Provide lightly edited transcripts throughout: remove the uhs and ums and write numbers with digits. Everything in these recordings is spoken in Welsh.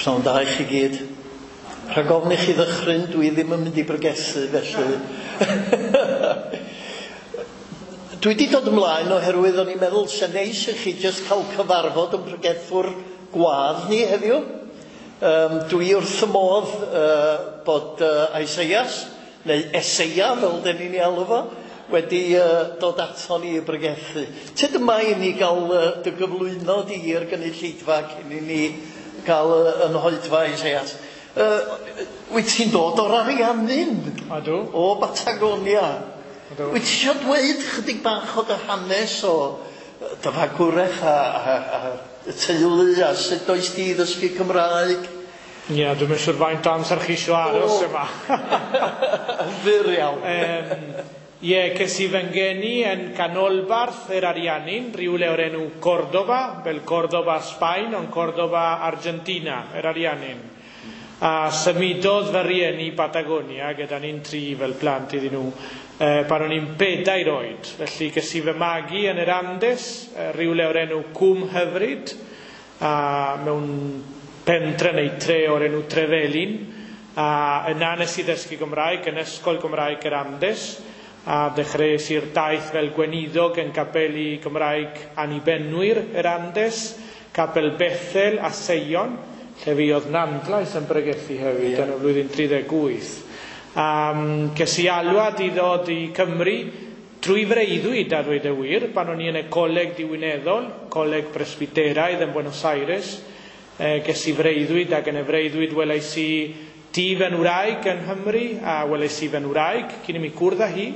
Pnawn da i chi gyd. Rhag ofn i chi ddychryn, dwi ddim yn mynd i bregethu, felly. Dwi wedi dod ymlaen oherwydd o'n i'n meddwl sy'n neis i chi jyst cael cyfarfod yn pregethwr gwadd ni heddiw. Dwi wrth y modd bod Isaias, neu Eseia fel dyn ni'n ei alw fo, wedi dod ato ni i bregethu. Tyd yma i ni gael dy gyflwyno di i'r gynulleidfa cyn i ni gael yn hoedfa Isaias. Wyt ti'n dod o'r Ariannin? Ydw. O Batagonia. Ydw. Wyt ti eisiau dweud chydig bach o dy hanes o dy fagwraeth a y teulu a sut does di ddysgu Cymraeg? Ie, yeah, dwi'm yn siŵr faint o amser chi eisiau aros yma. Yn fyr iawn. Ie, ces i fy ngeni yn canolbarth yr Ariannin, rhywle o'r enw Cordoba, fel Cordoba Sbaen, ond Cordoba Argentina, yr Ariannin. A symudodd fy rhieni Patagonia gyda ni'n tri fel plant iddyn nhw pan o'n i'n 4 oed. Felly ges i fy magu yn yr Andes, rhywle o'r enw Cwm Hyfryd, a mewn pentre neu tre o'r enw Trevelin, a yna nes i ddysgu Gymraeg yn Ysgol Gymraeg yr Andes, a dechreuais i'r daith fel gweinidog yn Capeli Gymraeg Annibenwyr yr Andes, Capel Bethel a Seion, lle fi oedd Nandlais yn bregethu hefyd yn y flwyddyn 38. Ces i alwad i ddod i Cymru trwy freuddwyd, a dweud y wir, pan o'n i yn y coleg diwineddol, Coleg Presbyteraidd yn Buenos Aires. Ces i freuddwyd, ac yn y freuddwyd welais i tŷ fy ngwraig yng Nghymru, a welais i fy ngwraig cyn i mi cwrdd â hi,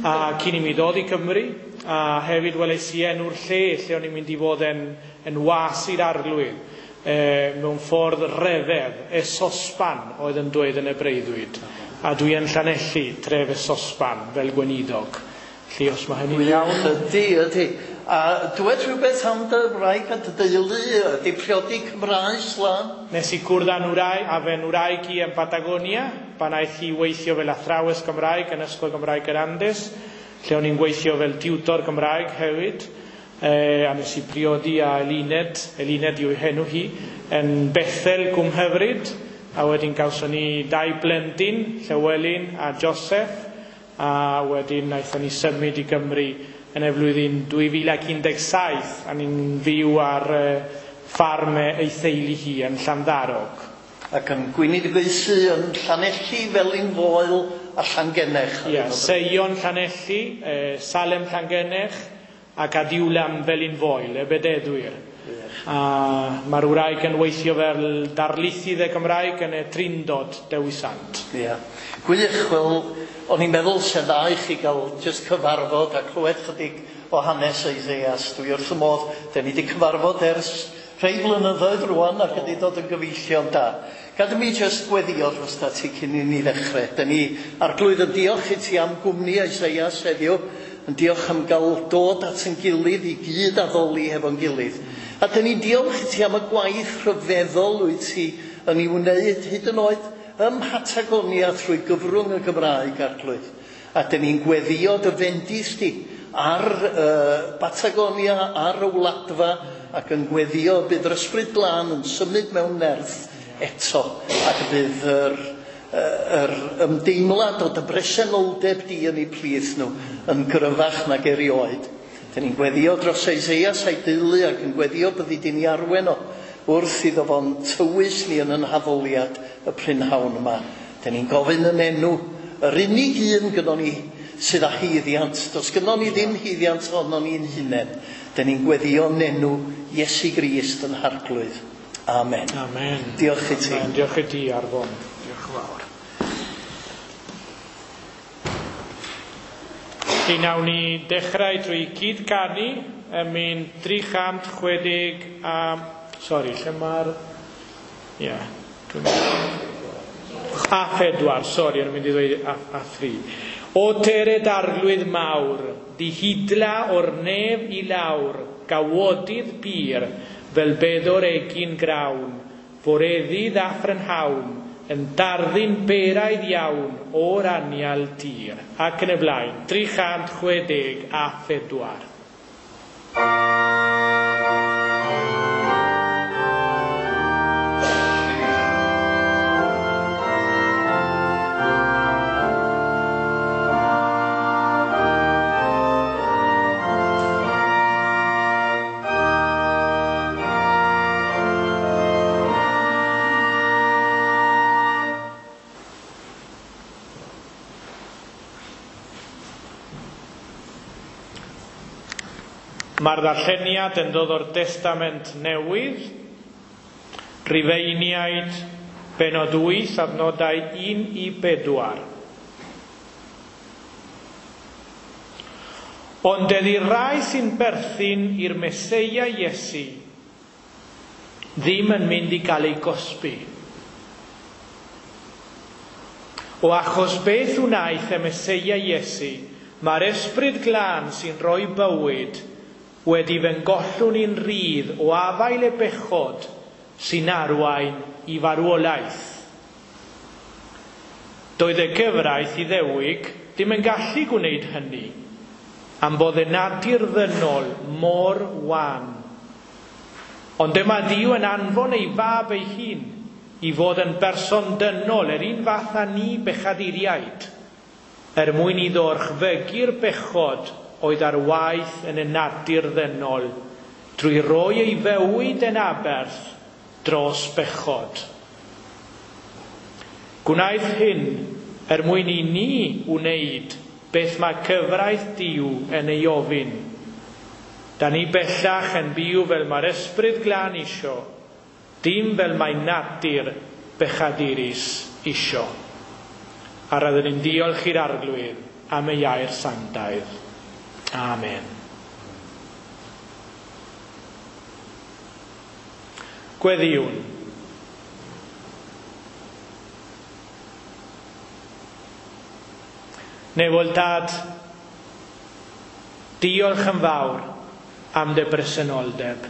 a cyn i mi ddod i Cymru, a hefyd welais i enw'r lle lle o'n i'n mynd i fod yn was i'r arglwydd. Mewn ffordd ryfedd, Esosban oedd yn dweud yn y breuddwyd. A dwi yn Llanelli, tref Esosban, fel gweinidog. Felly os mae hynny'n iawn. Ydy, ydy. A dwed rhywbeth am dy wraig a dy deulu, ydy priodi Cymraes lan? Nes i cwrdd â nhwraig, a fy ngwraig i yn Patagonia, pan aeth hi weithio fel athrawes Gymraeg yn Ysgol Gymraeg yr Andes, lle o'n i'n gweithio fel tiwtor Gymraeg hefyd. A nes i priodi â Eluned, Eluned yw henw hi, yn Bethel Cwm Hyfryd, a wedyn gawson ni 2 blentyn, Llywelyn a Joseph, a wedyn wnaethon ni symud i Gymru yn y flwyddyn 2017, a ni'n fyw ar ffarm ei theulu hi yn Llanddarog. Ac yn gweinidogaethu yn Llanelli, Felin-foel a Llangennech. Ie, Seion Llanelli, Salem Llangennech, ac Adiwlam Felin-foel, y Bededdwyr. A mae'r wraig yn weithio fel darlithydd y Gymraeg yn y Trindod Dewi Sant. Ie. Gwych, wel, o'n i'n meddwl sy'n dda i chi gael jyst cyfarfod a clywed chydig o hanes Isaias. Dwi wrth y modd, da ni wedi cyfarfod ers rhai blynyddoedd rwan ac wedi dod yn gyfeillion da. Gad i mi jyst gweddio dros ti cyn i ni ddechrau. Da ni arglwydd yn diolch i ti am gwmni Isaias heddiw, yn diolch am gael dod at ein gilydd i gyd addoli hefo'n gilydd. A da ni'n diolch i ti am y gwaith rhyfeddol wyt ti yn ei wneud hyd yn oed ym Mhatagonia trwy gyfrwng y Gymraeg, arglwydd. A da ni'n gweddio dy fendith di ar Batagonia, ar y wladfa, ac yn gweddio bydd yr Ysbryd Glân yn symud mewn nerth eto, ac bydd yr ymdeimlad o dy bresenoldeb di yn eu plith nhw yn gryfach nag erioed. Da ni'n gweddio dros Isaias a'i deulu ac yn gweddio byddi di'n ei arwen o wrth iddo fo'n tywys ni yn yn haddoliad y prynhawn yma. Da ni'n gofyn yn enw yr unig un gynnon ni sydd â haeddiant. Does gynnon ni ddim haeddiant ohonon ni'n hunain. Da ni'n gweddio yn enw Iesu Grist yn Harglwydd. Amen. Amen. Diolch i ti. Amen. Diolch i ti, Arfon. Diolch yn fawr. Felly nawn ni dechrau trwy cyd-canu ym myn 360 a... Sori, lle mae'r... Ie. A 4, sori, o'n i'n mynd i ddweud a 3. O tered arglwydd mawr, dihidla o'r nef i lawr, gawodydd pur, fel bedwr egin grawn, foreddydd a phrynhawn, yn darddun beraidd iawn o'r anial tir. Ac yn y blaen, 364. Thank you. Mae'r ddarlleniad yn dod o'r Testament Newydd, Rhufeiniaid, benod 8, adnodau 1 i 4. Ond ydy'r rai sy'n perthyn i'r Meseia Iesu ddim yn mynd i gael ei gosbi. O achos beth wnaeth y Meseia Iesu, mae'r Ysbryd Glân sy'n rhoi bywyd wedi fy ngollwng i'n rhydd o afael y bechod sy'n arwain i farwolaeth. Doedd y gyfraith Iddewig ddim yn gallu gwneud hynny, am bod y natur ddynol mor wan. Ond dyma Dduw yn anfon ei fab ei hun i fod yn berson dynol yr un fath â ni bechaduriaid, er mwyn iddo orchfygu'r bechod oedd ar waith yn y natur ddynol, drwy roi ei fywyd yn aberth dros bechod. Gwnaeth hyn er mwyn i ni wneud beth mae cyfraith Duw yn ei ofyn. Da ni bellach yn byw fel mae'r Ysbryd Glân isio, dim fel mae natur bechadurus isio. A rydyn ni'n diolch i'r Arglwydd am ei air sanctaidd. Amen. Gweddïwn. Nefol Dad, diolch yn fawr am dy bresenoldeb.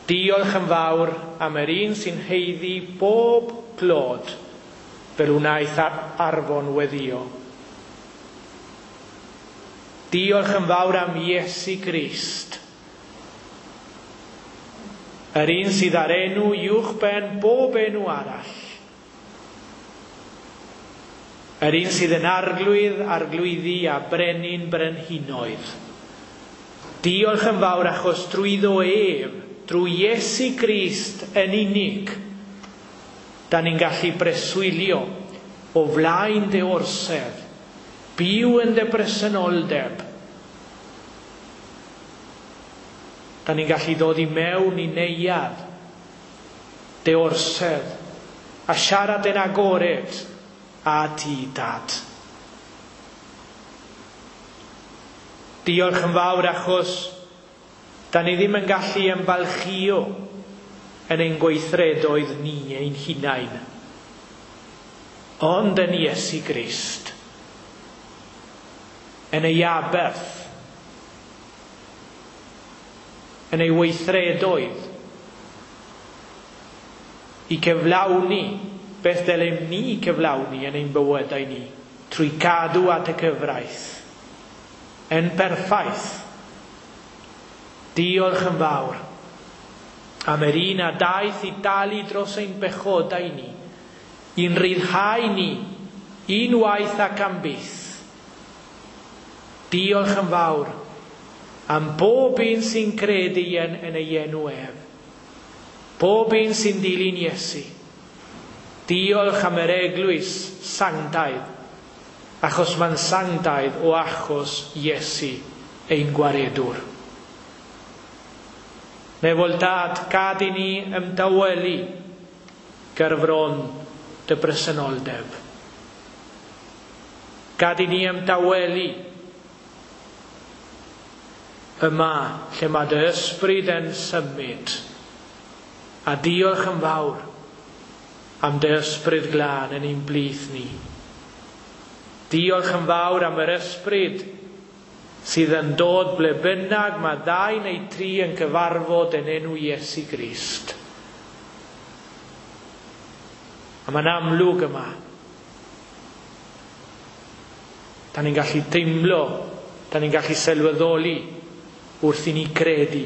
Diolch yn fawr am yr un sy'n haeddu bob clod fel wnaeth Arfon weddio. Diolch yn fawr am Iesu Grist, yr un sydd ar enw uwchben bob enw arall. Yr un sydd yn arglwydd, arglwyddi a brenin brenhinoedd. Diolch yn fawr achos drwyddo ef, drwy Iesu Grist yn unig, da ni'n gallu breswylio o flaen dy orsedd, byw yn dy bresenoldeb. Da ni'n gallu dod i mewn i neuadd dy orsedd a siarad yn agored a ti, Dad. Diolch yn fawr achos da ni ddim yn gallu ymfalchïo yn ein gweithredoedd ni ein hunain, ond yn Iesu Grist, yn ei aberth, yn ei weithredoedd, i cyflawni beth dylem ni cyflawni yn ein bywydau ni, trwy cadw at y cyfraith, yn perffaith. Diolch yn fawr am yr un a daeth i dalu dros ein bechodau ni, i'n rhyddhau ni, unwaith ac am byth. Diolch yn fawr am bob un sy'n credu yn ei enw ef, bob un sy'n dilyn Iesu. Diolch am yr eglwys sanctaidd, achos mae'n sanctaidd o achos Iesu ein gwaredwr. Nefol Dad, gad i ni ymdawelu gerfron dy bresenoldeb. Gad i ni ymdawelu yma lle mae dy ysbryd yn symud. A diolch yn fawr am dy ysbryd glân yn ein blith ni. Diolch yn fawr am yr ysbryd sydd yn dod ble bynnag mae ddau neu tri yn cyfarfod yn enw Iesu Grist. A mae'n amlwg yma. Da ni'n gallu teimlo, da ni'n gallu sylweddoli wrth i ni credu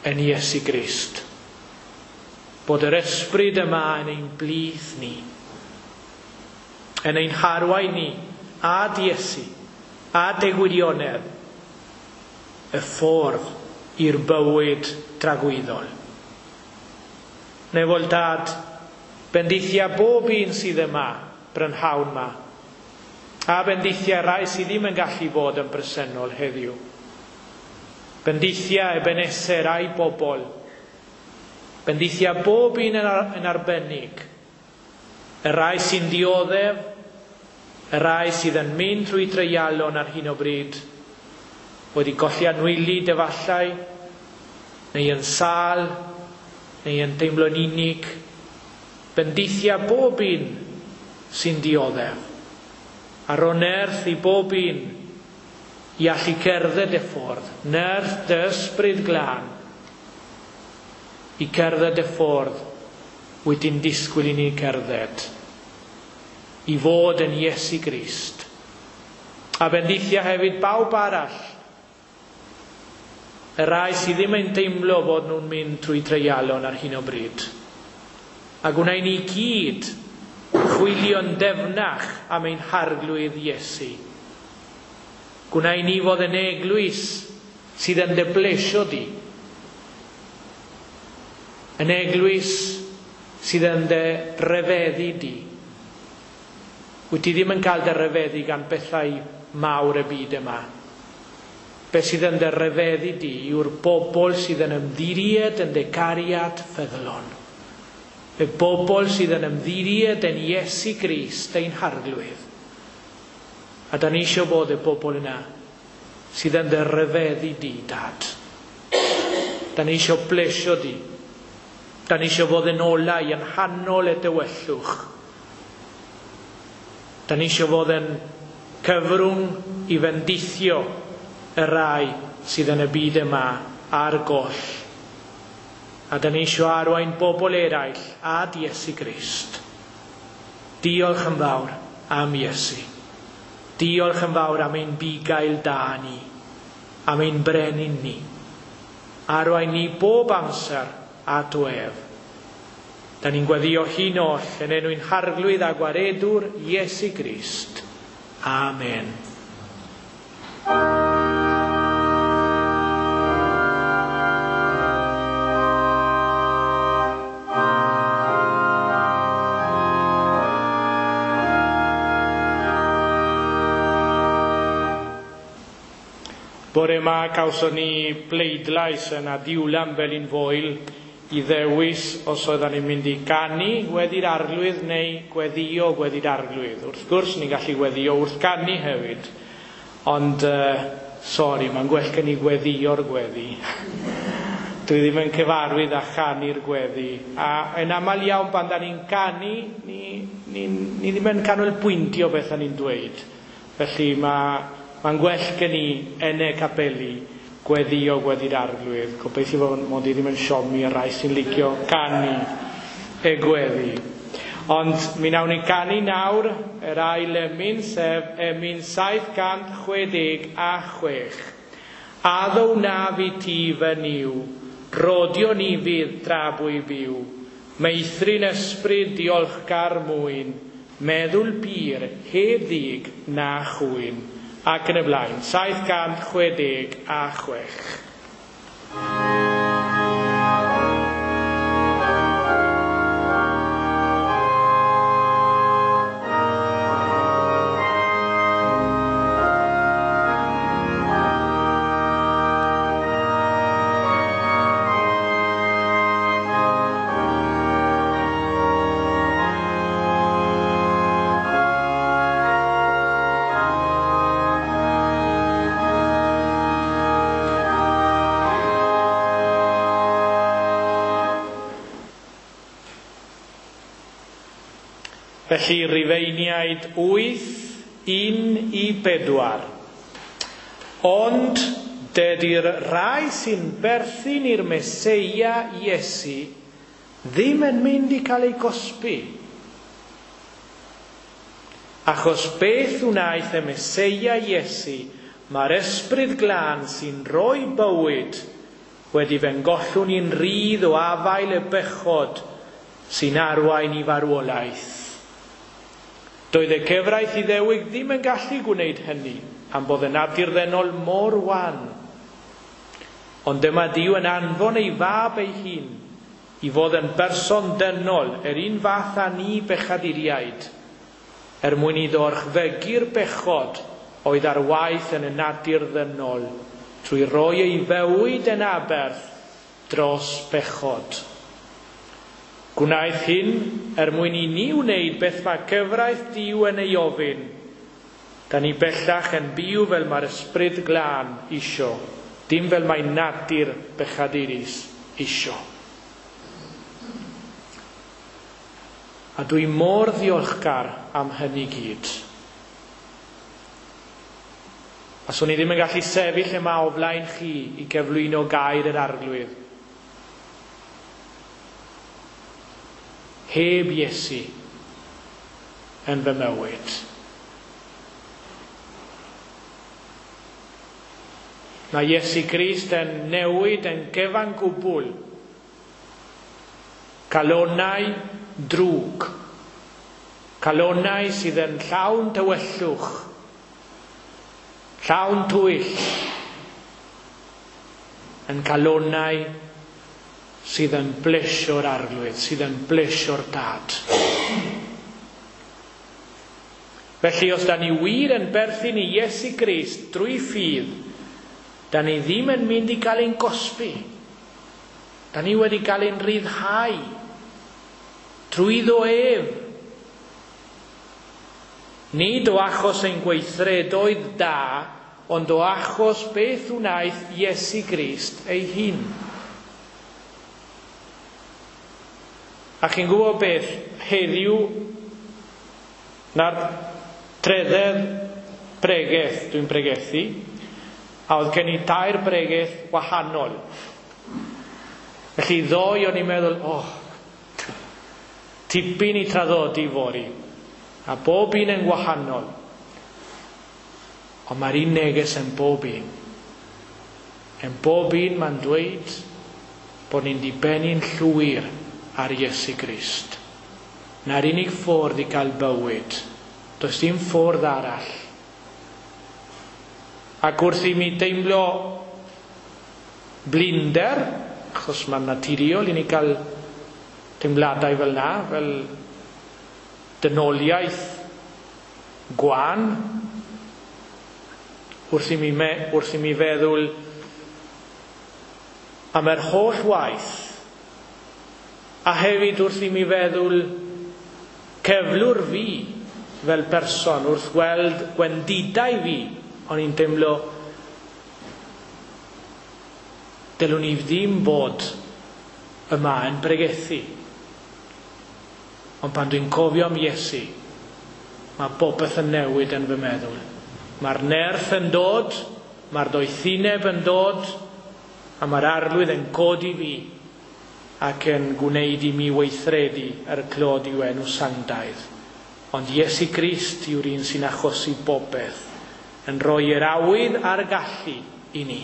yn Iesu Grist. Bod yr ysbryd yma yn ein blith ni, yn ein harwain ni, a Iesu, a dy gwirionedd, y ffordd i'r bywyd tragwyddol. Nefol Dad, bendithia bob un sydd yma, brynhawn yma, A bendithia rai sydd ddim yn gallu bod yn bresennol heddiw. Bendithia Ebeneser a'i bobl. Bendithia bob un yn arbennig. Y rai sy'n dioddef, y rai sydd yn mynd trwy treialon ar hyn o bryd, wedi golli anwylyd efallai, neu yn sâl, neu yn teimlo'n unig. Bendithia bob un sy'n dioddef. A ro nerth i bob un i allu cerdded y ffordd, nerth dy ysbryd glân, i cerdded y ffordd wyt ti'n disgwyl i ni cerdded, i fod yn Iesu Grist. A bendithia hefyd bawb arall, y rai sydd ddim yn teimlo bod nhw'n mynd trwy treialon ar hyn o bryd. A gwna i ni gyd chwilio'n defnach am ein harglwydd Iesu. Gwna i ni fod yn eglwys sydd yn dy blesio di. Yn eglwys sydd yn dy ryfeddu di. Wyt ti ddim yn cael dy ryfeddu gan bethau mawr y byd yma. Beth sydd yn dy ryfeddu di yw'r bobl sydd yn ymddiried yn dy cariad ffyddlon. Y bobl sydd yn ymddiried yn Iesu Grist ein harglwydd. A da ni eisiau bod y bobl yna sydd yn dy ryfeddu di, Dad. Da ni eisiau plesio di. Da ni eisiau fod yn olau yn hanol y dywyllwch. Da ni eisiau fod yn cyfrwng i fendithio y rai sydd yn y byd yma ar goll. A da ni eisiau arwain bobl eraill ad Iesu Grist. Diolch yn fawr am Iesu. Diolch yn fawr am ein bugail da ni, am ein brenin ni. Arwain ni bob amser at ef. Da ni'n gweddio hyn oll yn enw'n harglwydd a gwaredwr Iesu Grist. Amen. Bore yma cawson ni bleidlais yn Adiwlan Felinfoel i ddewis os oedden ni'n mynd i ganu gweddi'r arglwydd neu gweddio gweddi'r arglwydd. Wrth gwrs, ni'n gallu gweddio wrth ganu hefyd, ond sori, mae'n gwell gen i gweddio'r gweddi. Dwi ddim yn cyfarwydd â chanu'r gweddi. A yn aml iawn pan da ni'n canu, ni ddim yn canolbwyntio beth da ni'n dweud. Felly mae'n gwell gen i yn y capeli gweddio gweddi'r arglwydd. Gobeithio bod mod i ddim yn siomi y rai sy'n licio canu y gweddi. Ond mi nawn ni canu nawr yr ail emyn, sef emyn 766. Addo wnaf i ti fy Nuw, rodio ni fydd tra bwy fyw, meithrin ysbryd diolchgar mwyn, meddwl pur heb ddig na chwyn. Ac yn y blaen, 766. Felly, Rufeiniaid 8, 1 i 4. Ond dydy'r rhai sy'n berthyn i'r Meseia Iesu ddim yn mynd i cael ei gosbi. Achos beth wnaeth y Meseia Iesu, mae'r ysbryd glân sy'n rhoi bywyd wedi fengollwn ni'n rhydd o afael y bechod sy'n arwain i farwolaeth. Doedd y cyfraith Iddewig ddim yn gallu gwneud hynny am bod yn natur ddynol mor wan. Ond dyma Duw yn anfon ei fab ei hun i fod yn berson dynol yr un fath â ni bechaduriaid, er mwyn iddo orchfygu'r bechod oedd ar waith yn y natur ddynol trwy roi ei fywyd yn aberth dros bechod. Gwnaeth hyn er mwyn i ni wneud beth mae cyfraith Duw yn ei ofyn. Da ni bellach yn byw fel mae'r Ysbryd Glân isio, dim fel mae natur bechadurus isio. A dwi mor ddiolchgar am hynny gyd. A swn i ddim yn gallu sefyll yma o flaen chi i gyflwyno gair yr Arglwydd heb Iesu yn fy mywyd. Mae Iesu Grist yn newid yn gyfan gwbl calonau drwg, calonau sydd yn llawn tywyllwch, llawn twyll, yn calonau sydd yn blesio'r Arglwydd, sydd yn blesio'r Dad. Felly, os da ni wir yn berthyn i Iesu Grist drwy ffydd, da ni ddim yn mynd i gael ein gosbi. Da ni wedi cael ein rhyddhau trwyddo ef. Nid o achos ein gweithredoedd da, ond o achos beth wnaeth Iesu Grist ei hun. A chi'n gwybod beth, heddiw na'r trydedd bregeth dwi'n pregethu, a oedd gen i 3 bregeth wahanol. Felly ddoe o'n i'n meddwl, oh, tipyn i traddodi fory, a bob un yn wahanol. Ond mae'r un neges yn bob un. Yn bob un mae'n dweud bod ni'n dibynnu'n llwyr ar Iesu Grist. Na'r unig ffordd i gael bywyd. Does dim ffordd arall. Ac wrth i mi deimlo blinder, achos mae'n naturiol i ni gael teimladau fel na, fel dynoliaeth gwan, wrth i mi feddwl am yr holl waith, a hefyd wrth i mi feddwl cyflwr fi fel person, wrth weld gwendidau fi, o'n i'n teimlo dylwn i ddim bod yma yn pregethu. Ond pan dwi'n cofio am Iesu, mae popeth yn newid yn fy meddwl. Mae'r nerth yn dod, mae'r doethineb yn dod, a mae'r Arglwydd yn codi fi ac yn gwneud i mi weithredu er clod i'w enw sanctaidd. Ond Iesu Grist yw'r un sy'n achosi popeth, yn rhoi yr awydd a'r gallu i ni.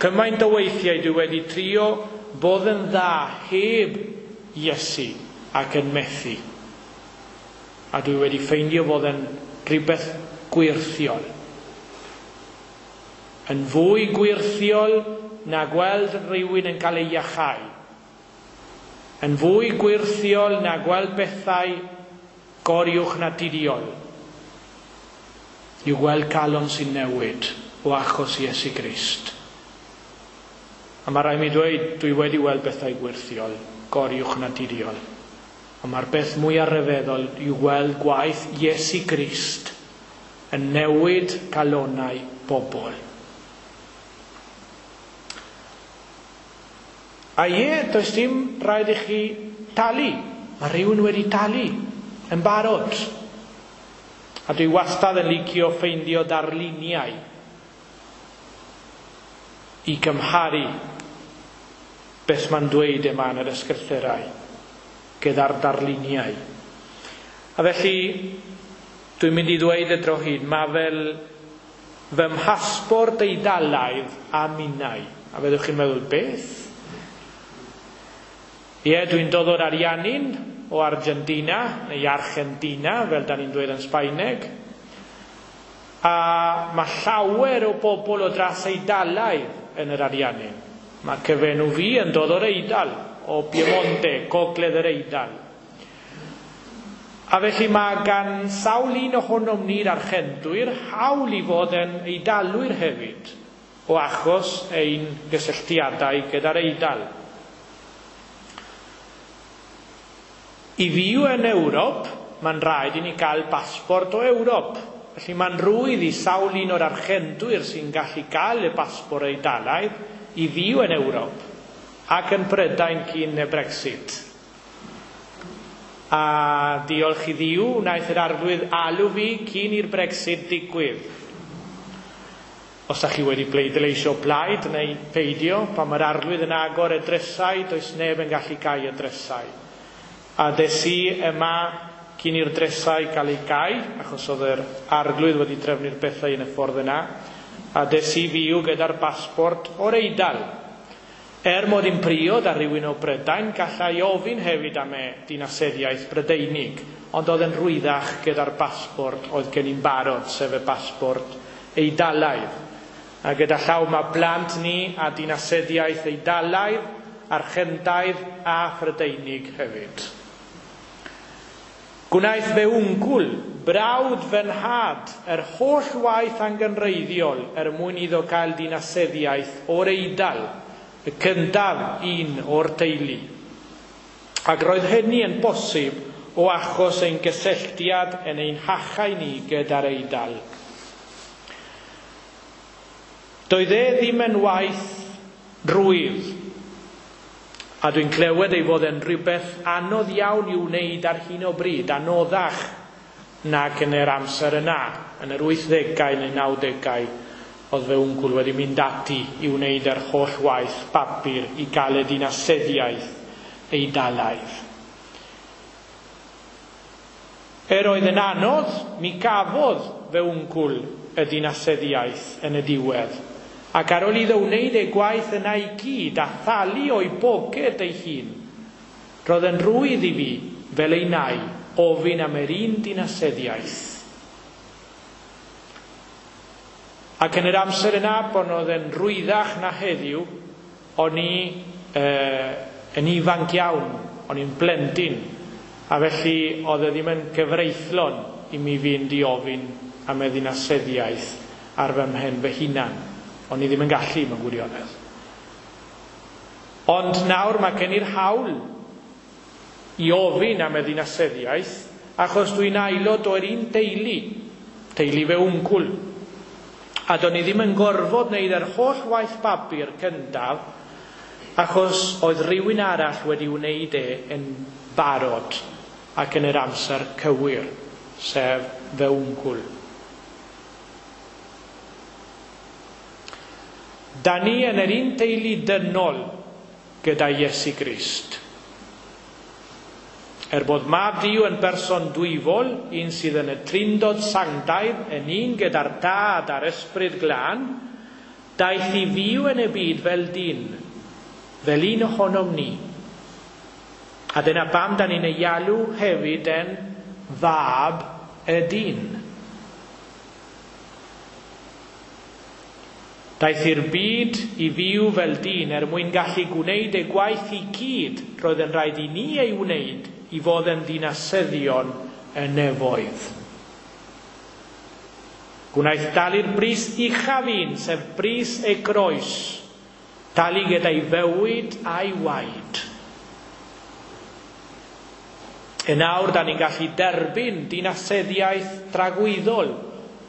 Cymaint o weithiau dwi wedi trio bod yn dda heb Iesu ac yn methu. A dwi wedi ffeindio fod yn rhywbeth gwirthiol. Yn fwy gwirthiol na gweld rhywun yn cael ei iachau. Yn fwy gwirthiol na gweld bethau goriwch naturiol. Yw gweld calon sy'n newid o achos Iesu Grist. A mae rhaid mi dweud, dwi wedi weld bethau gwirthiol, goriwch naturiol. Ond mae'r beth mwyaf rhyfeddol yw gweld gwaith Iesu Grist yn newid calonau bobl. A ie, does dim rhaid i chi talu. Mae rhywun wedi talu yn barod. A dwi wastad yn licio ffeindio darluniau i gymharu beth mae'n dweud yma yn yr ysgrythurau gyda'r darluniau. A felly, dwi'n mynd i ddweud y tro hyn, mae fel fy mhasbort Eidalaidd a minnau. A fyddwch chi'n meddwl, beth? Ie, dwi'n dod o'r Ariannin, o Argentina, neu Argentina, fel da ni'n dweud yn Sbaeneg. A mae llawer o bobl o dras Eidalaidd yn yr Ariannin. Mae cyfenw fi yn dod o'r Eidal, o Piemonte, gogledd yr Eidal. A felly mae gan sawl un ohonom ni'r Archentwyr hawl i fod yn Eidalwyr hefyd, o achos ein gysylltiadau gyda'r Eidal. I fyw yn Ewrop, mae'n rhaid i ni gael basbort o Ewrop. Felly mae'n rhwydd i sawl un o'r Archentwyr sy'n gallu gael y basbort Eidalaidd i fyw yn Ewrop ac yn Prydain cyn y Brexit. A diolch i Dduw, wnaeth yr Arglwydd alw fi cyn i'r Brexit digwydd. Os ydych chi wedi pleidleisio plaid neu peidio, pan mae'r Arglwydd yn agor y drysau, does neb yn gallu cau y drysau. A des i yma cyn i'r drysau gael eu cau, achos oedd yr Arglwydd wedi trefnu'r bethau yn y ffordd yna, a des i fyw gyda'r basbort o'r Eidal. Er mod i'n priod ar rywun o Brydain, gallai ofyn hefyd am y dinasyddiaeth Brydeinig, ond oedd yn rhwyddach gyda'r basbort oedd gen i'n barod, sef y basbort Eidalaidd. A gyda llaw mae blant ni a dinasyddiaeth Eidalaidd, Archentaidd a Phrydeinig hefyd. Gwnaeth fe wngwl, brawd fy nhad, yr holl waith angenrheidiol er mwyn iddo gael dinasyddiaeth o'r Eidal, y cyntaf un o'r teulu. Ac roedd hynny yn bosib o achos ein gysylltiad yn ein hachau ni gyda'r Eidal. Doedd e ddim yn waith rwydd, a dwi'n clywed ei fod yn rhywbeth anodd iawn i'w wneud ar hyn o bryd, anoddach nag yn yr amser yna, yn yr 80au neu 90au, oedd fe wngwl wedi mynd ati i wneud yr holl waith papur i gael y dinasyddiaeth Eidalaidd. Er oedd yn anodd, mi gafodd fe wngwl y dinasyddiaeth yn y diwedd. Ac ar ôl iddo wneud ei gwaith yna i gyd a thalu o'i boced ei hun, roedd yn rhwydd i fi, fel ei nai, ofyn am yr un dinasyddiaeth. Ac yn yr amser yna, pan oedd yn rwyddach na heddiw, o'n i yn ifanc iawn, o'n i'n blentyn, a felly oedd e ddim yn gyfreithlon i mi fynd i ofyn am y ddinasyddiaeth ar fy mhen fy hunan. O'n i ddim yn gallu mewn gwirionedd. Ond nawr mae gen i'r hawl i ofyn am y ddinasyddiaeth, achos dwi'n aelod o'r un teulu, teulu fe wngwl. A do'n i ddim yn gorfod wneud yr holl waith papur cyntaf, achos oedd rhywun arall wedi wneud e yn barod ac yn yr amser cywir, sef fe wngwl. Da ni yn yr un teulu dynol gyda Iesu Grist. Er bod Mab Duw yn berson dwyfol, un sydd yn y Trindod Sanctaidd, yn un gyda'r Tad a'r Ysbryd Glân, daeth i fyw yn y byd fel dyn, fel un ohonom ni. A dyna pam da ni'n ei alw hefyd yn fab y dyn. Daeth i'r byd i fyw fel dyn er mwyn gallu gwneud ei gwaith i gyd roedd yn rhaid i ni ei wneud i fod yn ddinasyddion y nefoedd. Gwnaeth dalu'r bris uchaf un, sef bris ei groes, talu gyda'i fywyd a'i waed. Yn awr, da ni'n gallu derbyn dinasyddiaeth dragwyddol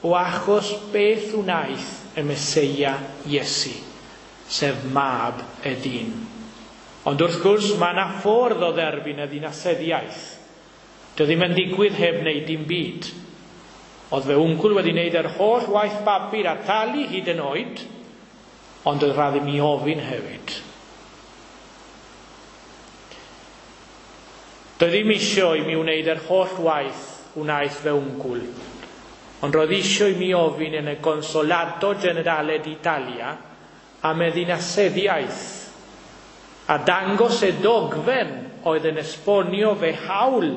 o achos beth wnaeth y Meseia Iesu, sef mab y dyn. Ond wrth gwrs, mae yna ffordd o dderbyn y ddinasyddiaeth. Dio ddim yn digwydd heb wneud dim byd. Oedd fe wngwl wedi wneud yr holl waith papur a talu hyd yn oed, ond oedd rhaid i mi ofyn hefyd. Doedd ddim isio i mi wneud yr holl waith wnaeth fe wngwl, ond roedd isio i mi ofyn yn y Consolato Generale d'Italia am y ddinasyddiaeth a dangos y dogfen oedd yn esbonio fe hawl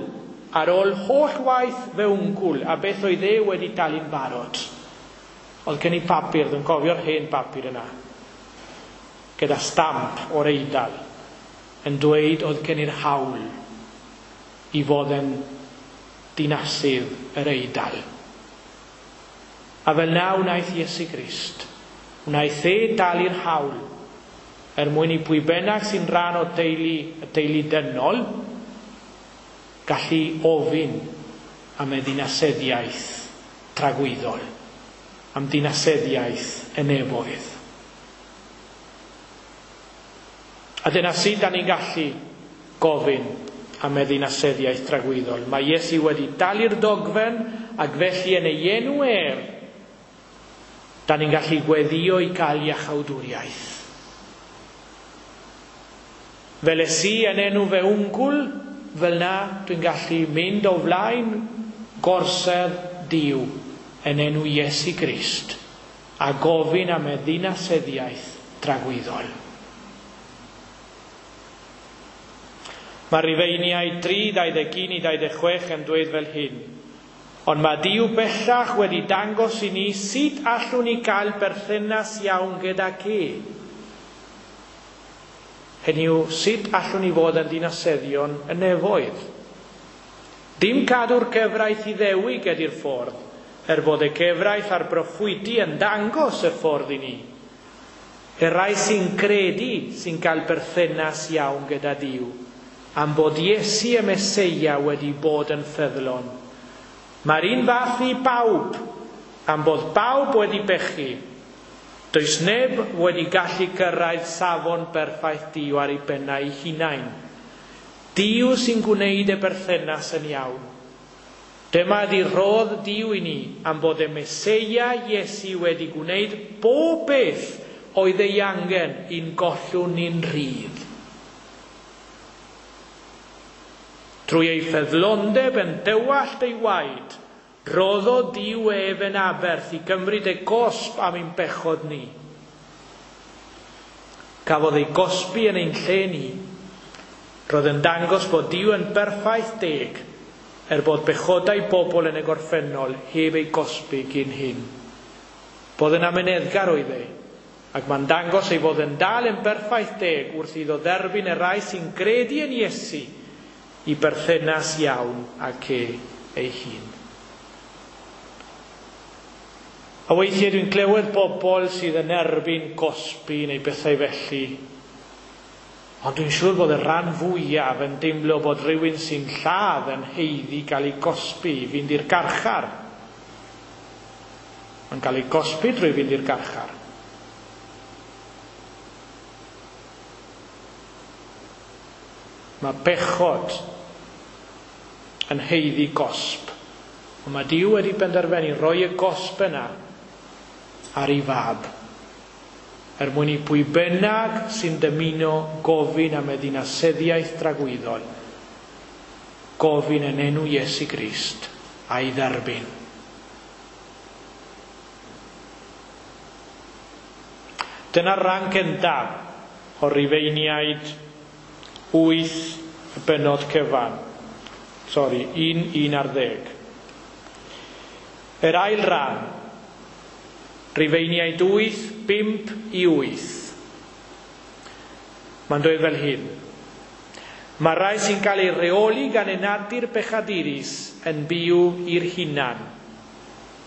ar ôl holl waith fe wngwl a beth oedd e wedi talu'n barod. Oedd gen i papur, dwi'n cofio'r hen papur yna, gyda stamp o'r Eidal, yn dweud oedd gen i'r hawl i fod yn dinasydd yr Eidal. A fel na wnaeth Iesu Grist, wnaeth e dalu'r hawl er mwyn i pwy bynnag sy'n rhan o deulu, y teulu dynol gallu ofyn am y ddinaseddiaeth tragwyddol, am ddinaseddiaeth y nefoedd. A dyna sut da ni'n gallu gofyn am y ddinaseddiaeth tragwyddol. Mae Iesu wedi dalu'r dogfen ac felly yn ei enw ef, da ni'n gallu gweddio i gael iachawdwriaeth. Fel es i yn enw fe wngwl, fel na dwi'n gallu mynd o flaen gorsedd Duw yn enw Iesu Grist a gofyn am y ddinaseddiaeth dragwyddol. Mae Rufeiniaid 3, 21 i 26 yn dweud fel hyn. Ond mae Duw bellach wedi dangos i ni sut allwn ni gael berthynas iawn gyda e. Hynny yw, sut allwn ni fod yn dinaseddion y nefoedd? Dim cadw'r cyfraith i ddewig ydy'r ffordd, er bod y cyfraith a'r broffwydi yn dangos y ffordd i ni. Y rai sy'n credu sy'n cael berthynas iawn gyda Duw, am bod Iesu y Meseia wedi bod yn ffyddlon. Mae'r un fath i bawb, am bod bawb wedi bechu. Does neb wedi gallu cyrraedd safon berffaith Duw ar ei bennau ei hunain. Duw sy'n gwneud y berthynas yn iawn. Dyma ydi rhodd Duw i ni am bod y Meseia Iesu wedi gwneud bob beth oedd ei angen i'n gollwng ni'n rhydd. Trwy ei ffyddlondeb yn dywallt ei waed, roddodd Duw ef yn aberth i gymryd y gosb am ein bechod ni. Cafodd ei gosbi yn ein lle ni. Roedd yn dangos bod Duw yn berffaith deg, er bod bechodau bobl yn y gorffennol heb ei gosbi gyn hyn. Bod yn amyneddgar oedd e, ac mae'n dangos ei fod yn dal yn berffaith deg wrth iddo dderbyn y rai sy'n credu yn Iesu i berthynas iawn ac e ei hun. A weithiau dwi'n clywed bobl sydd yn erbyn gosbi neu bethau felly, ond dwi'n siŵr bod y rhan fwyaf yn deimlo bod rhywun sy'n lladd yn haeddu gael ei gosbi i fynd i'r garchar. Mae'n cael ei gosbi drwy fynd i'r garchar. Mae bechod yn haeddu gosb. Ond mae Duw wedi benderfynu roi y gosb yna ar ei fab, er mwyn i pwy bynnag sy'n dymuno gofyn am y ddinaseddiaeth dragwyddol, gofyn yn enw Iesu Grist a'i dderbyn. Dyna'r rhan gyntaf o'r Rufeiniaid 8 y bennod cyfan. Sori, 1, 11. Yr ail ran, Rufeiniaid 8, 5 i 8. Mae'n dweud fel hyn. Mae rai sy'n cael ei reoli gan y natur bechadurus yn byw i'r hunan.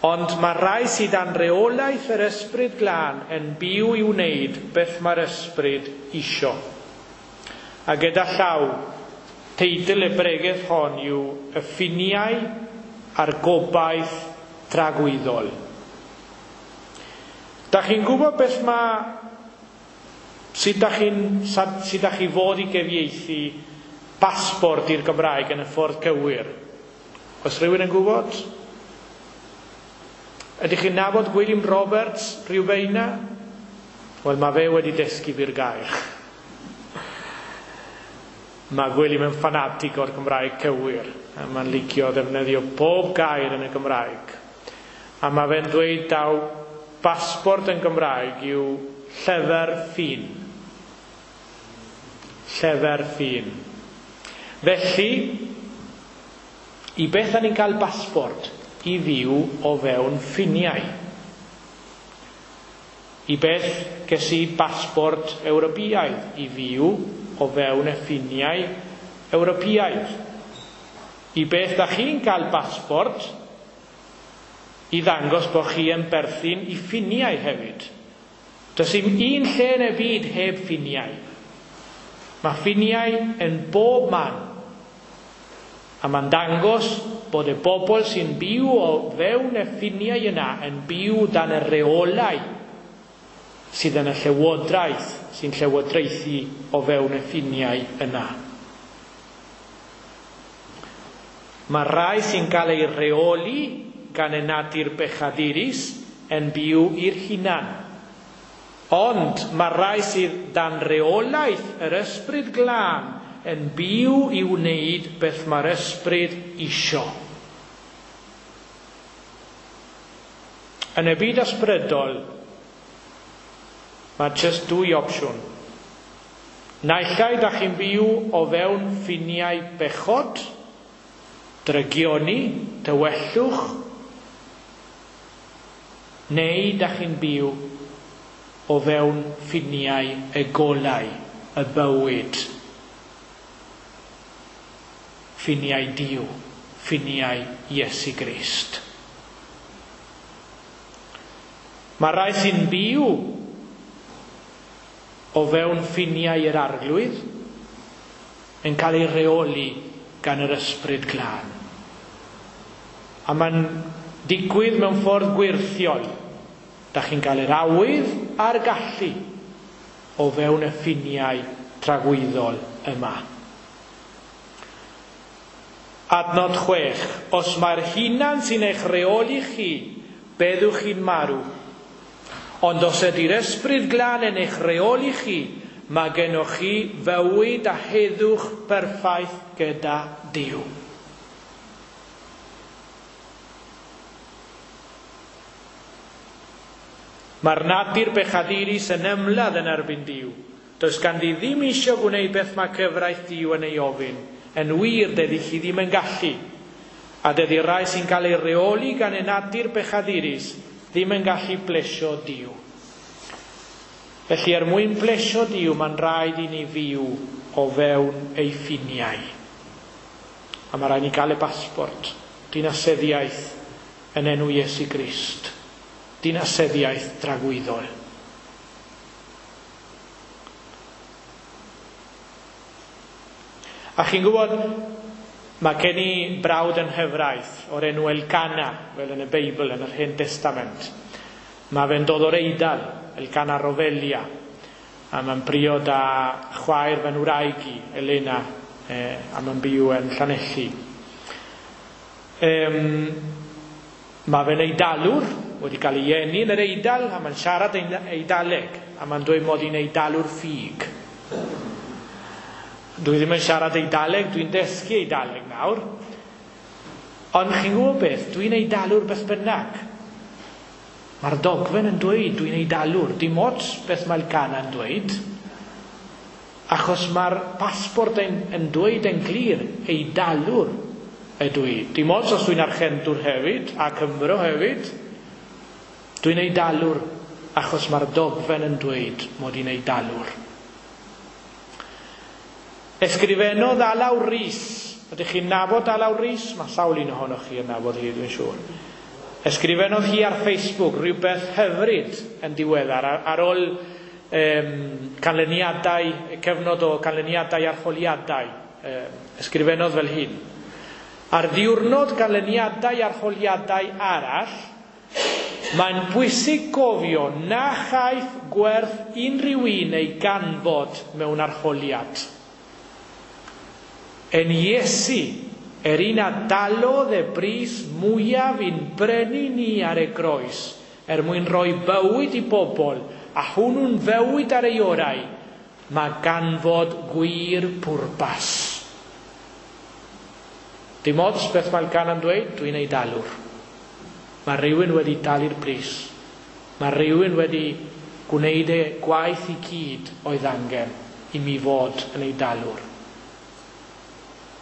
Ond mae rai sydd dan reolaeth yr Ysbryd Glân yn byw i wneud beth mae'r Ysbryd isio. A gyda llaw, teitl y bregeth hon yw Y Ffiniau a'r Gobaith Tragwyddol. Da chi'n gwybod beth mae, sut da chi'n, sut da chi fod i gyfieithu pasbort i'r Gymraeg yn y ffordd cywir? Oes rhywun yn gwybod? Ydych chi'n nabod Gwilym Roberts Rhiwbeina? Wel, mae fe wedi dysgu fi'r gair. Mae Gwilym yn ffanatig o'r Gymraeg cywir. A mae'n licio ddefnyddio pob gair yn y Gymraeg. A mae fe'n dweud daw pasbort yn Gymraeg yw llyfr ffin. Llyfr ffin. Felly, i beth ni'n cael pasbort? I fyw o fewn ffiniau. I beth ges i pasbort Ewropeaidd? I fyw o fewn y ffiniau Ewropeaidd. I beth da chi'n cael pasbort i ddangos bod chi yn berthyn i ffiniau hefyd. Does dim un lle yn y byd heb ffiniau. Mae ffiniau yn bob man. A mae'n dangos bod y bobl sy'n byw o fewn y ffiniau yna yn byw dan y reolau sydd yn y llywodraeth sy'n llywodraethu o fewn y ffiniau yna. Mae rai sy'n cael ei reoli gan y natur bechadurus yn byw i'r hunan. Ond mae rai sydd dan reolaeth yr ysbryd glân yn byw i wneud beth mae'r ysbryd isio. Yn y byd ysbrydol, mae jyst dwy opsiwn. Naill ai da chi'n byw o fewn ffiniau bechod, drygioni, tywellwch, neu da chi'n byw o fewn ffiniau y golau, y bywyd. Ffiniau Duw, ffiniau Iesu Grist. Mae rai sy'n byw o fewn ffiniau yr arglwydd yn cael ei reoli gan yr ysbryd glân. A mae'n digwydd mewn ffordd gwirthiol. Da chi'n cael yr awydd a'r gallu o fewn y ffiniau tragwyddol yma. Adnod 6. Os mae'r hunan sy'n eich reoli chi, byddwch chi'n marw. Ond os ydy'r ysbryd glân yn eich reoli chi, mae gennych chi fywyd a heddwch perffaith gyda Duw. Mae'r natur bechadurus yn ymladd yn erbyn Duw. Does ganddi ddim eisiau gwneud beth mae cyfraith Duw yn ei ofyn. Yn wir, dydy chi ddim yn gallu. A dydy rai sy'n cael ei reoli gan y natur bechadurus ddim yn gallu plesio Duw. Felly, er mwyn plesio Duw, mae'n rhaid i ni fyw o fewn ei ffiniau. A mae rhaid ni gael y pasbort, dinasyddiaeth yn enw Iesu Grist. Dinasyddiaeth dragwyddol. A chi'n gwybod, mae gen i brawd yn nghyfraith o'r enw Elcana, fel yn y Beibl, yn yr Hen Testament. Mae fe'n dod o'r Eidal, Elcana Rovelia, a mae'n briod â chwaer fy ngwraig i, Elena, a mae'n byw yn Llanelli. Mae fe'n Eidalwr, wedi cael ei eni yn yr Eidal, a mae'n siarad Eidaleg, a mae'n dweud mod i'n Eidalwr ffug. Dwi ddim yn siarad Eidaleg, dwi'n dysgu Eidaleg nawr. Ond chi'n gwybod beth, dwi'n Eidalwr beth bynnag. Mae'r dogfen yn dweud dwi'n Eidalwr, dim ots beth mae'r Elcana yn dweud, achos mae'r pasbort yn dweud yn glir Eidalwr ydw i. Dim ots os dwi'n Archentwr hefyd, a Cymro hefyd, dwi'n Eidalwr achos mae'r dogfen yn dweud mod i'n Eidalwr. Ysgrifennodd Alaw Rhys. Ydych chi'n nabod Alaw Rhys? Mae sawl un ohonoch chi yn nabod hi, dwi'n siŵr. Ysgrifennodd hi ar Facebook rhywbeth hyfryd yn diweddar ar ôl canlyniadau, cyfnod o canlyniadau arholiadau. Ysgrifennodd fel hyn. Ar ddiwrnod canlyniadau arholiadau arall, mae'n bwysig gofio na chaiff gwerth unrhyw un ei ganfod mewn arholiad. Yn Iesu, yr un a dalodd y bris mwyaf i'n brynu ni ar y groes, er mwyn rhoi bywyd i bobl, a hwnnw'n fywyd ar ei orau, mae ganfod gwir pwrpas. Dim ots beth mae'r gan yn dweud, dwi'n ei dalwr. Mae rhywun wedi talu'r pris. Mae rhywun wedi gwneud y gwaith i gyd oedd angen i mi fod yn ei dalwr.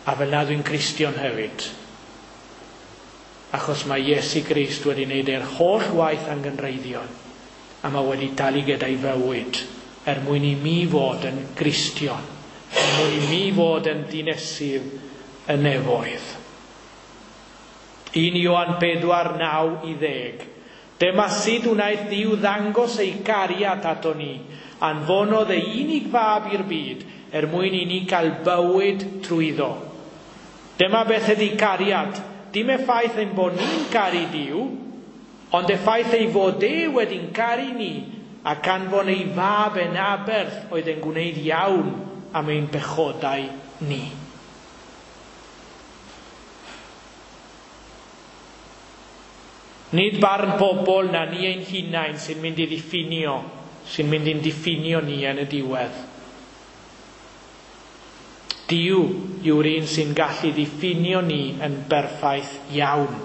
A fel na dwi'n Cristion hefyd. Achos mae Iesu Grist wedi wneud e'r holl waith angenrheidiol a mae wedi talu gyda'i fywyd er mwyn i mi fod yn Gristion, er mwyn i mi fod yn dinesydd y nefoedd. 1 Ioan 4, 9 i 10. Dyma sut wnaeth Dduw ddangos ei gariad ato ni, anfonodd ei unig fab i'r byd er mwyn i ni gael bywyd trwyddo. Dyma beth ydy cariad. Dim y ffaith ein bod ni'n caru Duw, ond y ffaith ei fod e wedi'n caru ni ac anfon ei fab yn aberth oedd yn gwneud iawn am ein pechodau ni. Nid barn pobl na ni ein hunain sy'n mynd i ddiffinio, sy'n mynd i'n diffinio ni yn y diwedd. Duw yw'r un sy'n gallu ddiffinio ni yn berffaith iawn.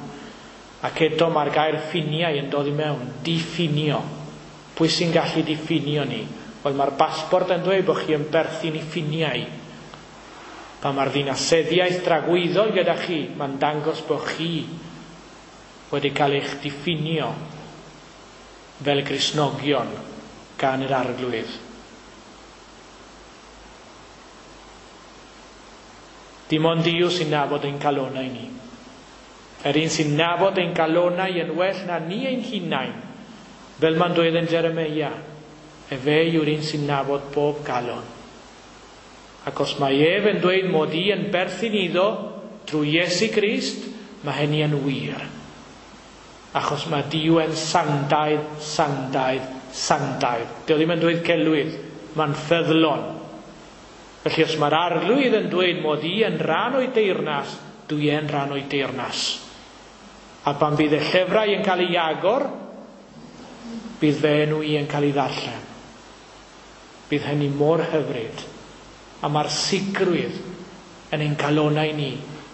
Ac eto mae'r gair ffiniau yn dod i mewn, diffinio. Pwy sy'n gallu diffinio ni? Wel, mae'r basbort yn dweud bod chi yn berthyn i ffiniau. Pan mae'r ddinaseddiaeth dragwyddol gyda chi, mae'n dangos bod chi wedi cael eich diffinio fel Gristnogion gan yr Arglwydd. Dim ond Duw sy'n nabod ein calonau ni. Yr un sy'n nabod ein calonau yn well na ni ein hunain, fel mae'n dweud yn Jeremeia, efe yw'r un sy'n nabod pob calon. Ac os mae ef yn dweud mod i yn berthyn iddo trwy Iesu Grist, mae hynny yn wir. Achos mae Duw yn sanctaidd, sanctaidd, sanctaidd. Dio ddim yn dweud celwydd, mae'n ffyddlon. Felly os mae'r Arglwydd yn dweud mod i yn rhan o'i deyrnas, dwi yn rhan o'i deyrnas. A pan bydd y llyfrau yn cael ei agor, bydd fy enw i yn cael ei ddarllen. Bydd hynny mor hyfryd. A mae'r sicrwydd yn ein calonau ni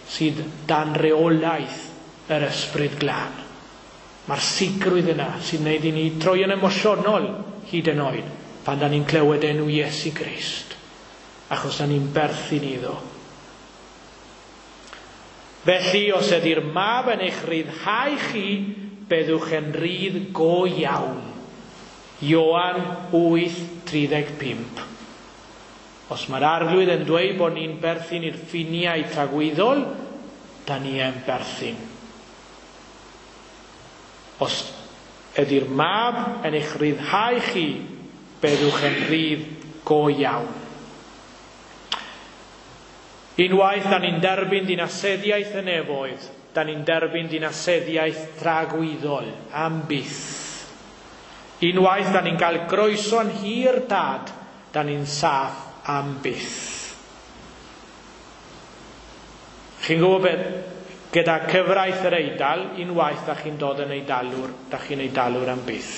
sydd dan reolaeth yr Ysbryd Glân. Mae'r sicrwydd yna sy'n gwneud i ni troi yn emosiynol hyd yn oed pan da ni'n clywed enw Iesu Grist, achos da ni'n berthyn iddo. Felly, os ydy'r mab yn eich rhyddhau chi, byddwch yn rhydd go iawn. Ioan 8:35. Os mae'r Arglwydd yn dweud bod ni'n berthyn i'r ffiniau tragwyddol, da ni yn berthyn. Os ydy'r mab yn eich rhyddhau chi, byddwch yn rhydd go iawn. Unwaith da ni'n derbyn dinaseddiaeth y nefoedd, da ni'n derbyn dinaseddiaeth tragwyddol am byth. Unwaith da ni'n cael croeso'n hir dad, da ni'n saff am byth. Chi'n gwybod beth? Gyda cyfraith yr Eidal, unwaith da chi'n dod yn Eidalwr, da chi'n Eidalwr am byth.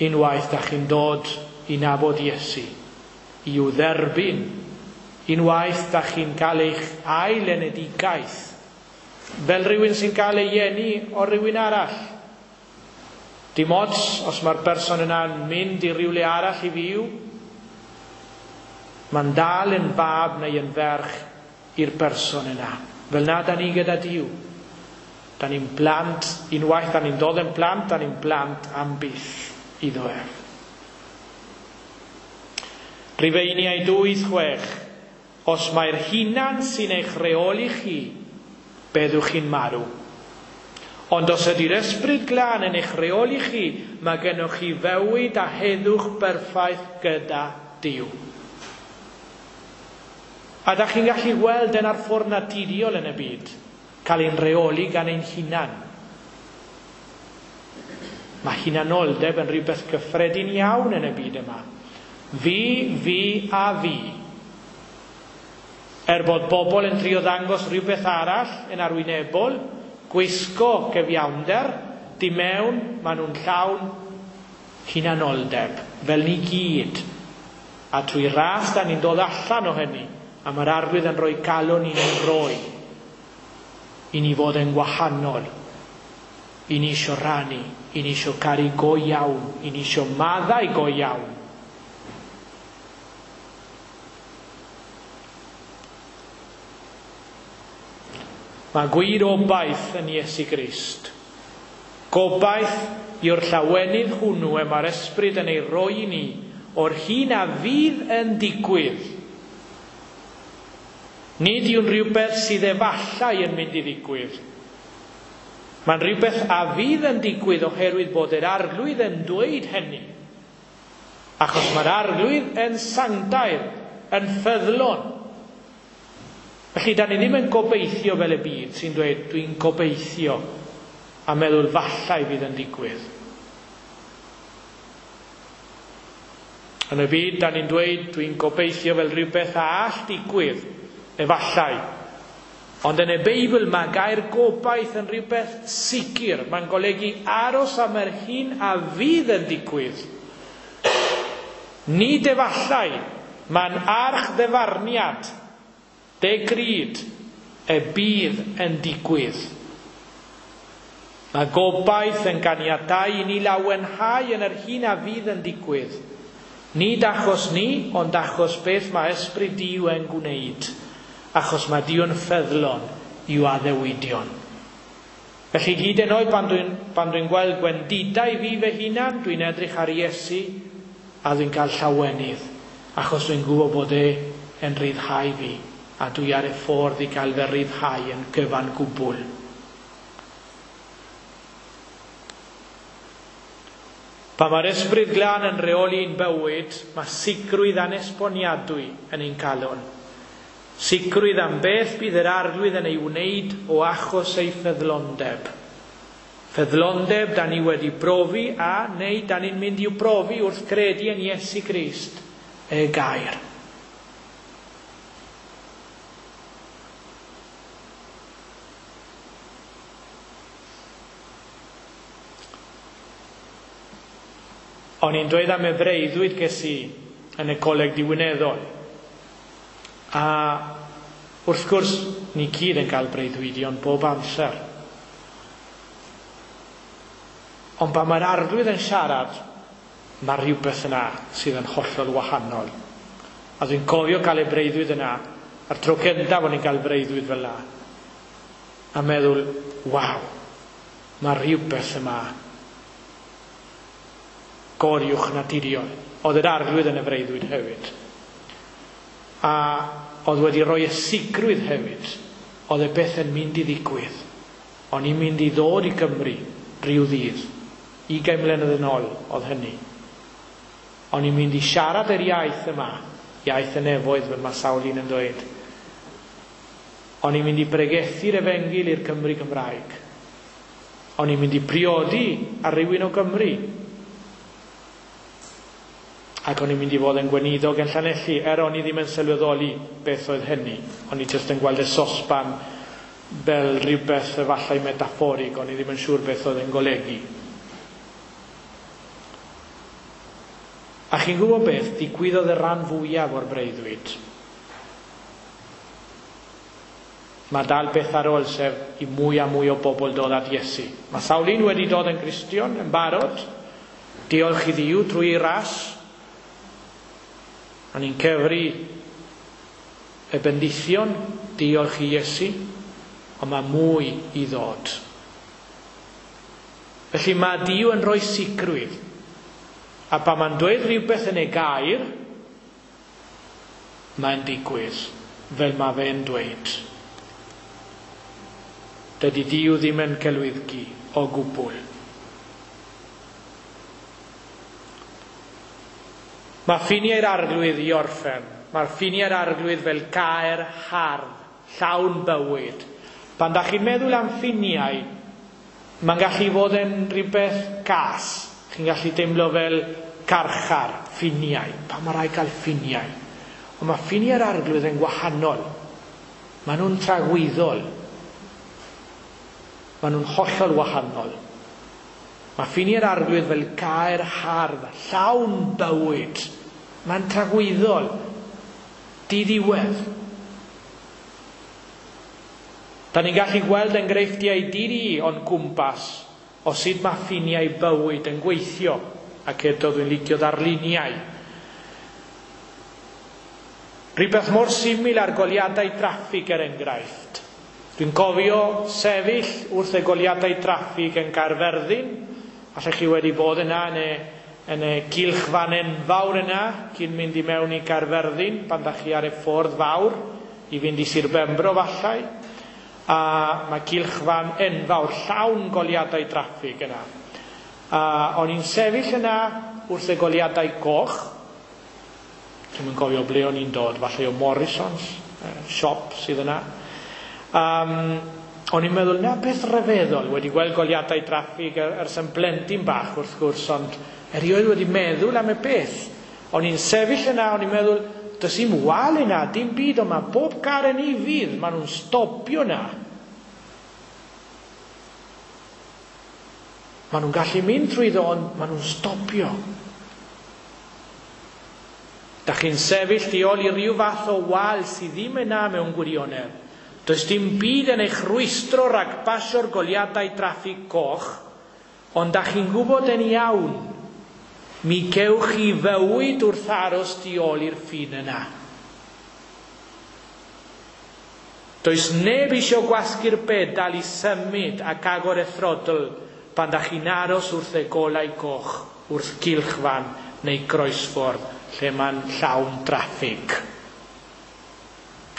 Unwaith da chi'n dod i nabod Iesu, i'w dderbyn, unwaith da chi'n cael eich ail-enedigaeth, fel rhywun sy'n cael ei eni o rhywun arall. Dim ots os mae'r person yna'n mynd i rywle arall i fyw, mae'n dal yn fab neu yn ferch i'r person yna. Fel na da ni gyda Duw. Da ni'n blant, unwaith da ni'n dod yn plant, da ni'n blant am byth iddo ef. Rhufeiniaid 8:6. Os mae'r hunan sy'n eich rheoli chi, byddwch chi'n marw. Ond os ydy'r Ysbryd Glân yn eich rheoli chi, mae gennych chi fywyd a heddwch berffaith gyda Duw. A da chi'n gallu gweld yn ar ffordd naturiol yn y byd, cael ein rheoli gan ein hunan. Mae hunanoldeb yn rhywbeth cyffredin iawn yn y byd yma. Fi, fi a fi. Er bod bobl yn trio ddangos rhywbeth arall yn arwynebol, gwisgo cyfiawnder, di mewn, maen nhw'n llawn hunanoldeb, fel ni gyd. A trwy ras da ni'n dod allan o hynny, a mae'r Arglwydd yn rhoi galon i ni'n rhoi, i ni fod yn wahanol, i ni isio rannu, i ni isio caru go iawn, i ni isio maddau go iawn. Mae gwir obaith yn Iesu Grist. Gobaith yw'r llawenydd hwnnw y mae'r Ysbryd yn ei roi i ni o'r hyn a fydd yn digwydd. Nid yw'n rhywbeth sydd efallai yn mynd i ddigwydd. Mae'n rhywbeth a fydd yn digwydd oherwydd bod yr Arglwydd yn dweud hynny. Achos mae'r Arglwydd yn sanctaidd, yn ffyddlon. Felly, da ni ddim yn gobeithio fel y byd sy'n dweud, dwi'n gobeithio, a meddwl fallai fydd yn digwydd. Yn y byd, da ni'n dweud, dwi'n gobeithio fel rhywbeth a all digwydd, efallai. Ond yn y Beibl mae gair gobaith yn rhywbeth sicr. Mae'n golygu aros am yr hyn a fydd yn digwydd. Nid efallai, mae'n archddyfarniad, degryd, y bydd yn digwydd. Mae gobaith yn ganiatáu i ni lawenhau yn yr hyn a fydd yn digwydd. Nid achos ni, ond achos beth mae Ysbryd Duw yn gwneud. Achos mae Duw yn ffyddlon i'w addewidion. Felly hyd yn oed pan dwi'n gweld gwendidau fi fy hunan, dwi'n edrych ar Iesu a dwi'n cael llawenydd. Achos dwi'n gwybod bod e yn rhyddhau fi a dwi ar y ffordd i gael fy rhyddhau yn gyfan gwbl. Pan mae'r Ysbryd Glân yn rheoli'n bywyd, mae sicrwydd anesboniadwy yn ein calon. Sicrwydd am beth bydd yr Arglwydd yn ei wneud o achos ei ffyddlondeb. Ffyddlondeb da ni wedi brofi a neu da ni'n mynd i'w brofi wrth credu yn Iesu Grist, y gair. O'n i'n dweud am y breuddwyd ges i yn y coleg diwinyddol. A wrth gwrs, ni gyd yn cael breuddwydion bob amser. Ond pan mae'r Arglwydd yn siarad, mae rhywbeth yna sydd yn hollol wahanol. A dwi'n cofio cael y breuddwyd yna, a'r tro cyntaf o'n i'n cael breuddwyd fel yna. A meddwl, waw, mae rhywbeth yma goriwch naturiol. Oedd yr Arglwydd yn y freuddwyd hefyd. A oedd wedi rhoi y sicrwydd hefyd. Oedd y beth yn mynd i ddigwydd. O'n i'n mynd i ddod i Gymru rhyw ddydd. 20 mlynedd yn ôl oedd hynny. O'n i'n mynd i siarad yr iaith yma, iaith y nefoedd fel mae sawl un yn dweud. O'n i'n mynd i bregethu'r efengyl i'r Cymru Cymraeg. O'n i'n mynd i priodi ar rywun o Gymru. Ac o'n i'n mynd i fod yn gweinidog yn Llanelli, er o'n i ddim yn sylweddoli beth oedd hynny. O'n i jyst yn gweld y sosban fel rhywbeth efallai metafforig, o'n i ddim yn siŵr beth oedd yn golygu. A chi'n gwybod beth, digwyddodd y rhan fwyaf o'r breuddwyd. Mae dal beth ar ôl, sef i mwy a mwy o bobl dod at Iesu. Mae sawl un wedi dod yn Gristion yn barod, diolch i Dduw drwy ei ras. A ni'n cyfri y bendithion, diolch i Iesu, ond mae mwy i ddod. Felly mae Duw yn rhoi sicrwydd. A pan mae'n dweud rhywbeth yn ei gair, mae'n digwydd fel mae fe'n dweud. Dydy Duw ddim yn celwyddgu o gwbl. Mae ffiniau'r Arglwydd i orffen. Mae'r ffiniau'r Arglwydd fel caer hardd, llawn bywyd. Pan da chi'n meddwl am ffiniau, mae'n gallu fod yn rhywbeth cas. Chi'n gallu teimlo fel carchar, ffiniau. Pan mae rhaid cael ffiniau. Ond mae ffiniau'r Arglwydd yn gwahanol. Maen nhw'n tragwyddol. Maen nhw'n hollol wahanol. Mae ffiniau'r Arglwydd fel caer hardd, llawn bywyd. Mae'n tragwyddol, diddiwedd. Da ni'n gallu gweld enghreifftiau diri o'n cwmpas o sut mae ffiniau bywyd yn gweithio, ac eto dwi'n licio ddarluniau. Rhywbeth mor syml ar goliadau traffig er enghraifft. Dwi'n cofio sefyll wrth y goliadau traffig yn Caerfyrddin. Allech chi wedi bod yna yn y gylchfan enfawr yna cyn mynd i mewn i Caerfyrddin pan da chi ar y ffordd fawr. i fynd i Sir Benfro fallai, a mae gylchfan enfawr llawn goleuadau traffig yna. A o'n i'n sefyll yna wrth y goleuadau coch. Dwi'm yn cofio ble o'n i'n dod, falle o Morrisons, siop sydd yna. O'n i'n meddwl, na beth rhyfeddol, wedi gweld goleuadau traffig ers yn blentyn bach wrth gwrs, ond erioed wedi meddwl am y peth. O'n i'n sefyll yna, o'n i'n meddwl, does dim wal yna, dim byd, ond mae bob car yn ufudd, maen nhw'n stopio yna. Maen nhw'n gallu mynd trwyddo, ond maen nhw'n stopio. Da chi'n sefyll tu ôl i ryw fath o wal sydd ddim yna mewn gwirionedd. Does dim byd yn eich rwystro rhag pasio'r goleuadau traffig coch, ond da chi'n gwybod yn iawn, mi gewch chi fywyd wrth aros tu ôl i'r ffin yna. Does neb eisiau gwasgu'r pedal i symud ac agor y throttle pan da chi'n aros wrth y golau coch, wrth gylchfan neu groesffordd lle mae'n llawn traffig.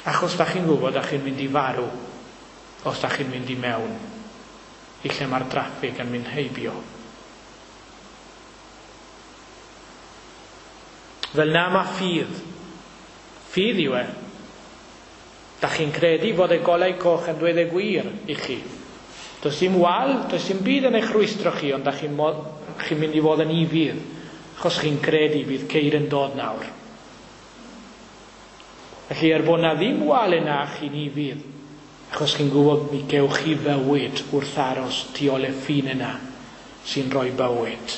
Achos da chi'n gwybod da chi'n mynd i farw os da chi'n mynd i mewn i lle mae'r traffig yn mynd heibio. Fel na mae ffydd. Ffydd yw e. Da chi'n credu fod y golau coch yn dweud y gwir i chi. Does dim wal, does dim byd yn eich rwystro chi, ond da chi'n mynd i fod yn ufudd, achos chi'n credu bydd ceir yn dod nawr. Felly bod na ddim wal yna, chi'n ufudd, achos chi'n gwybod mi gewch chi fywyd wrth aros tu ôl y ffin yna sy'n rhoi bywyd.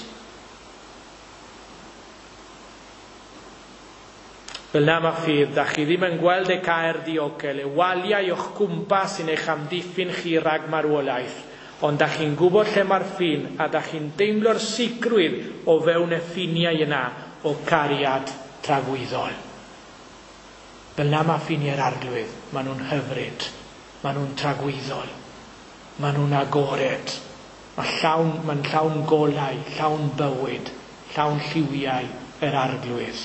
Fel na mae ffydd, da chi ddim yn gweld y caer diogel, y waliau o'ch cwmpas sy'n eich amddiffyn chi rhag marwolaeth, ond da chi'n gwybod lle mae'r ffin a da chi'n deimlo'r sicrwydd o fewn y ffiniau yna o cariad tragwyddol. Fel na mae ffiniau'r Arglwydd, maen nhw'n hyfryd, maen nhw'n tragwyddol, maen nhw'n agored, mae'n llawn golau, llawn bywyd, llawn lliwiau yr Arglwydd,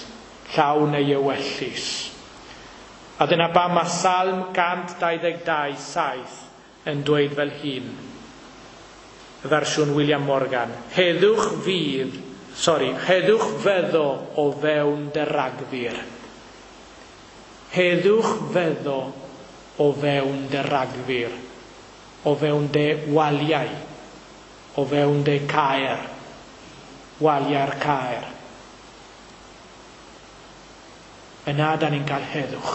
llawn ei ewyllys. A dyna pam mae Salm 122:7 yn dweud fel hyn, y fersiwn William Morgan, heddwch fyddo o fewn dy ragfur. Heddwch fyddo o fewn dy ragfur, o fewn dy waliau, o fewn dy caer, waliau'r caer. Yna da ni'n cael heddwch.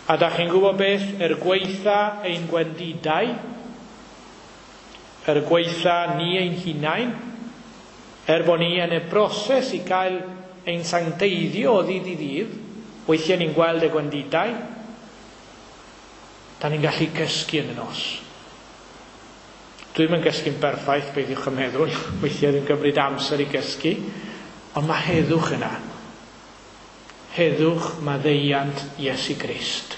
A da chi'n gwybod beth? Gweitha ein gwendidau, gweitha ni ein hunain, bod ni yn y broses i gael ein sancteiddio o ddydd i ddydd, weithiau ni'n gweld y gwendidau, da ni'n gallu cysgu yn y nos. Dwi'm yn cysgu'n berffaith, beidiwch yn meddwl, weithiau dwi'n cymryd amser i gysgu, ond mae heddwch yna. Heddwch maddeuant Iesu Grist.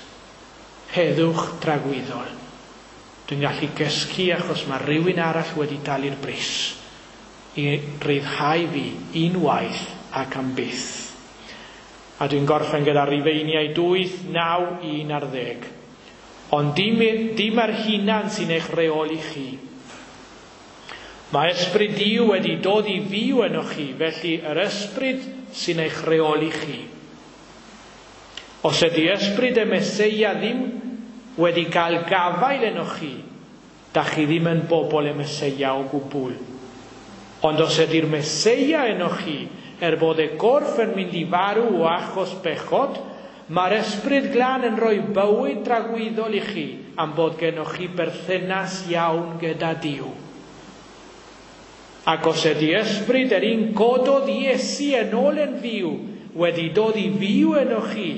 Heddwch tragwyddol. Dwi'n gallu gysgu achos mae rhywun arall wedi talu'r bris i ryddhau fi unwaith ac am byth. A dwi'n gorffen gyda Rufeiniaid 8, 9, 11. Ond dim yr hunan sy'n eich reoli chi. Mae ysbryd Duw wedi dod i fyw ynoch chi, felly yr ysbryd sy'n eich reoli chi. Os ydy ysbryd y Meseia ddim wedi cael gafael ynoch chi, da chi ddim yn bobl y Meseia o gwbl. Ond os ydy'r Meseia ynoch chi, bod y gorff yn mynd i farw o achos bechod, mae'r ysbryd glân yn rhoi bywyd tragwyddol i chi am bod gennoch chi berthynas iawn gyda Duw. Ac os ydy ysbryd yr un gododd Iesu yn ôl yn fyw wedi dod i fyw ynoch chi,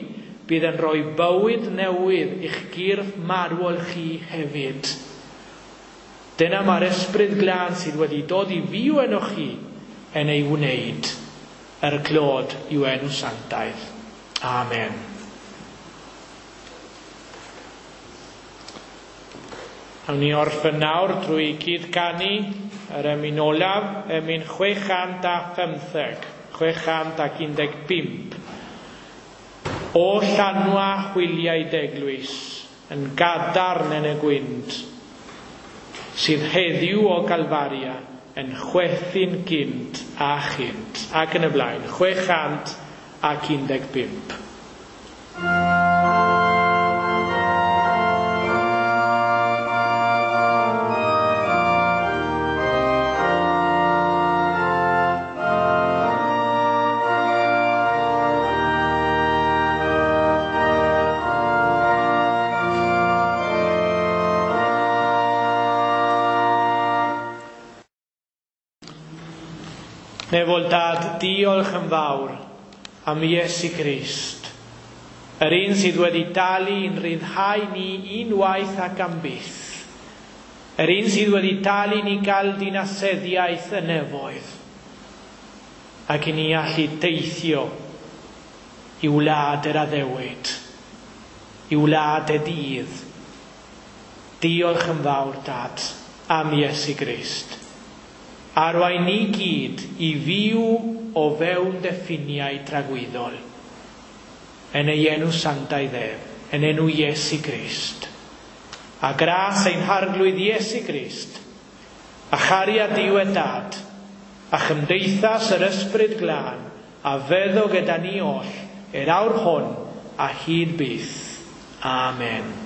bydd yn rhoi bywyd newydd i'ch gyrff marwol chi hefyd. Dyna mae'r ysbryd glân sydd wedi dod i fyw ynoch chi yn ei wneud, er clod i'w enw sanctaidd. Amen. Awn ni orffen nawr drwy gyd-ganu yr emyn olaf, emyn 615, 615. O llanwa hwyliau deglwys yn gadarn yn y gwynt, sydd heddiw o Galfaria yn chwethu'n gynt a chynt, ac yn y blaen, 615. Nefol Dad, diolch yn fawr am Iesu Grist, yr un sydd wedi dalu i'n rhyddhau ni unwaith ac am byth, yr un sydd wedi dalu ni gael dinaseddiaeth y nefoedd, ac i ni allu deithio i wlad yr addewid, i wlad y dydd. Diolch yn fawr, Dad, am Iesu Grist. Arwain ni gyd i fyw o fewn deffiniau tragwyddol. Yn ei enw sanctaidd ef, yn enw Iesu Grist. A gras ein harglwydd Iesu Grist, a chariad Duw y Dad, a chymdeithas yr Ysbryd Glân, a feddo gyda ni oll, i'r awr hwn a hyd byth. Amen.